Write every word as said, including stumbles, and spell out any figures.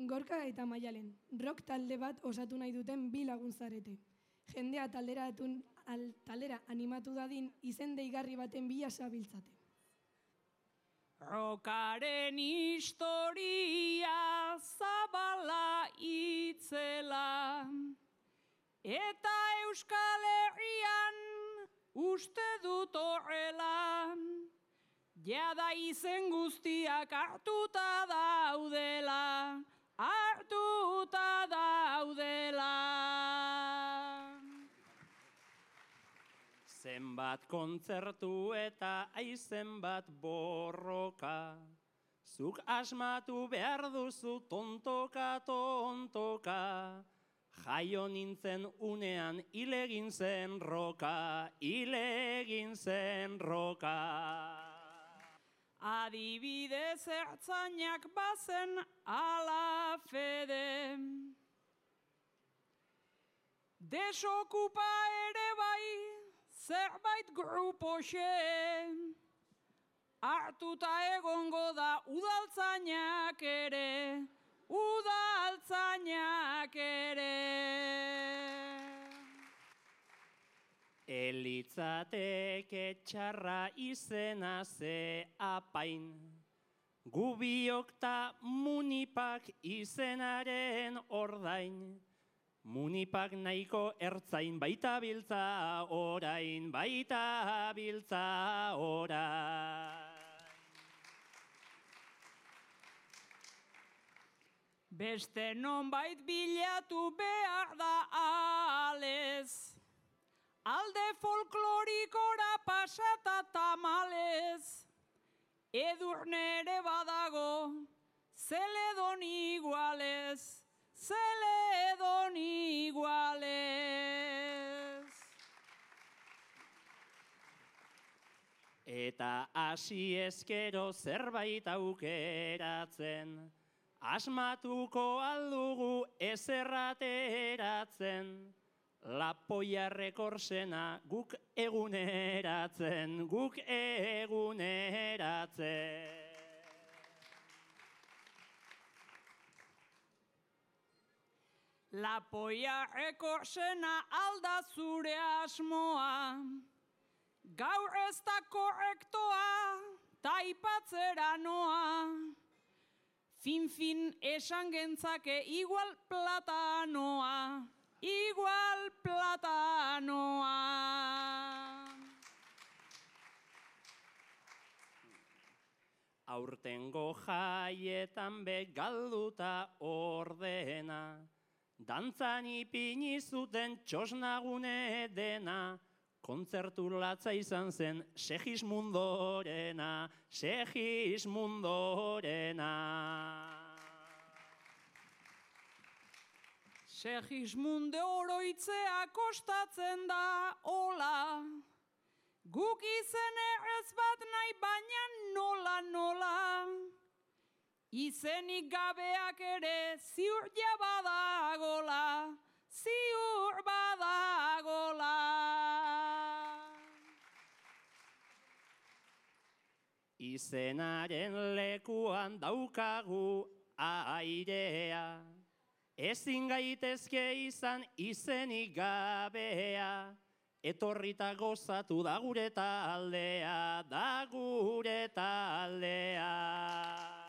Gorka eta Maialen, rock talde bat osatu nahi duten bi lagun zarete. Jendea taldera, atun, al, taldera animatu dadin izen deigarri baten bila zabiltzate. Rockaren historia zabala itzela, eta Euskal Herrian uste dut horrela, jada izen guztiak hartuta daudela, hartuta daudela. Zenbat kontzertu eta aizen bat borroka, zuk asmatu behar duzu tontoka, tontoka, jaio nintzen unean ilegin zen roka, ilegin zen roka. Adibidez ertzainak bazen ala fede, desokupa ere bai zerbait grupoxe, hartuta egongo da udaltzainak ere, udaltzainak ere. Elitzateke txarra izena ze apain, gubiok ta munipak izenaren ordain, munipak nahiko ertzain baita biltza orain, baita biltza orain. Beste nonbait bilatu behar da alez, alde folklorikora pasata tamalez, Edurne ere badago, zeledon igualez, zeledon igualez. Eta hasi ezkero zerbait aukeratzen, asmatuko aldugu ezerrateratzen, lapoia rekorsena guk eguneratzen, guk eguneratzen. Lapoia rekorsena alda zure asmoa, gaur ez da korrektoa, taipatzera noa. Fin-fin esan gentzake igual platanoa, igual platanoa. Aurtengo jaietan be galduta ordena, dantzan ipini zuten txosnagune dena, kontzertu latza izan zen Segismundorena, Segismundorena. Segismunde oroitzea kostatzen da hola, guk izen errez bat nahi baina nola nola, izenik gabeak ere ziur jabadagola, ziur badagola. Izenaren lekuan daukagu airea, ezin gaitezke izan izenik gabea, etorrita gozatu da gure taldea, da gure taldea.